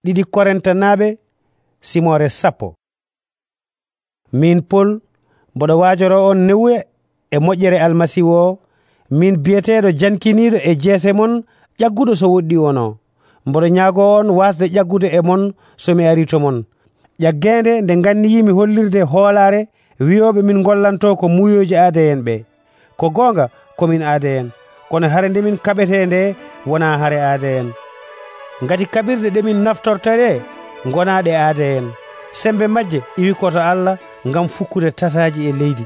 Ɗiɗi Korintanaaɓe simore 10. Min Pol mboɗo waajoro on newuya e moƴƴere Almasihu o, min biyeteeɗo jankiniiɗo e jeese mon ƴagguɗo so woɗɗi wono. Mboɗo ñaagoo on wasde ƴaggude e mon so mi arii to mon. Ƴaggeende nde nganniyimi hollirde hoolaare wiyooɓe min ngollanto ko muuyooji aada'en ɓe. Ko goonga komin aada'en, kono hare nde min kaɓetee nde wonaa hare aada'en. Ngati kaɓirɗe ɗe min naftorta ɗe ngonaaɗe aada'en. Sembe majje iwi koto Allah ngam fukkude tataaji e leydi.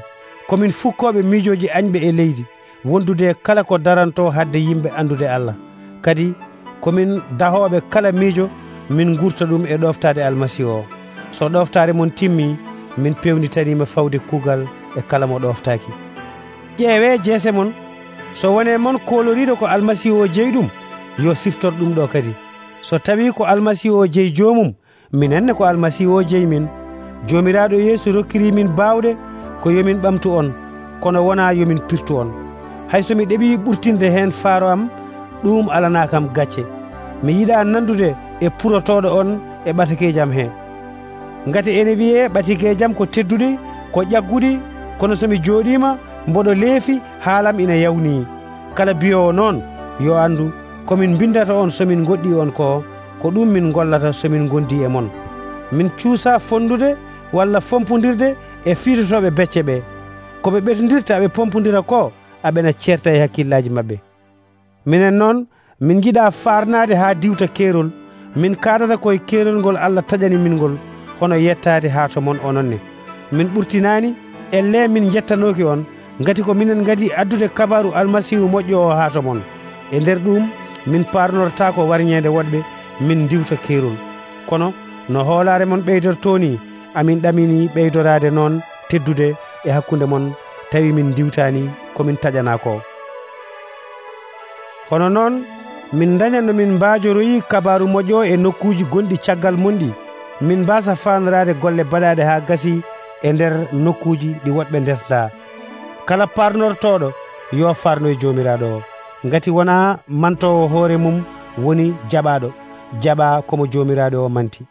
Komin fukkooɓe miijooji añɓe e leydi, wondude kala ko daranto hadde yimɓe andude Allah. Kadi komin dahooɓe kala miijo min ngurta ɗum e ɗoftaade Almasihu o. So ɗoftaare mon timmii, min pewnitaniima fawde kuugal e kala mo ɗoftaaki. Ƴeewee jeese mon, so wonee mon kooloriiɗo ko Almasihu o jeyi ɗum, yo siftor ɗum ɗo kadi. So tawii ko Almasihu o jeyi joomum, minenne ko Almasihu o jeyi min. Joomiraaɗo Yeesu rokkirii min baawɗe ko yomin ɓamtu on, kono wonaa yomin pirtu on. Hay so mi ɗeɓii ɓurtinde heen faaro am, ɗum alanaa kam gacce. Mi yiɗaa nandude e purotooɗo on e ɓatakeejam hee. Ngati ene wiyee ɓatakeejam ko teddude, ko ƴaggude, kono so mi jooɗiima mboɗo leefi haalam ina yawnii. Kala biyoowo noon yo anndu komin mbindata on somin goɗɗii on ko ɗum min ngollata somin ngondii e mon. Min cuusaa fondude walla fompondirde e fiitotooɓe becce ɓe. Ko ɓe ɓetondirta ɓe pompondira ko, aɓena ceerta e hakkillaaji maɓɓe. Minen noon min njiɗaa faarnaade haa diwta keerol. Min kaadata koye keerol ngol Allah taƴani min ngol, hono yettaade haa to mon ononne. Min ɓurtinaani, elle min jettanooki on, ngati ko minen ngadi addude kabaru Almasihu moƴƴo o haa to mon. E nder ɗum min paarnotaako warñeende woɗɓe min diwta keerol. Kono no hoolaare mon ɓeydortoo ni, amin ɗaminii ɓeydoraade noon teddude e hakkunde mon, tawi min diwtaani komin taƴanaa ko. Hono noon min daña no min mbaajoroyi kabaru moƴƴo e nokkuuji gonɗi caggal monɗi, min mbaasa faandoraade golle baɗaaɗe haa gasii e nder nokkuuji ɗi woɗɓe ndesdaa. Kala paarnortooɗo yo faarnoye joomiraaɗo o, ngati wonaa mantoowo hoore mum woni jaɓaaɗo, jaɓaa komo joomiraaɗo o manti.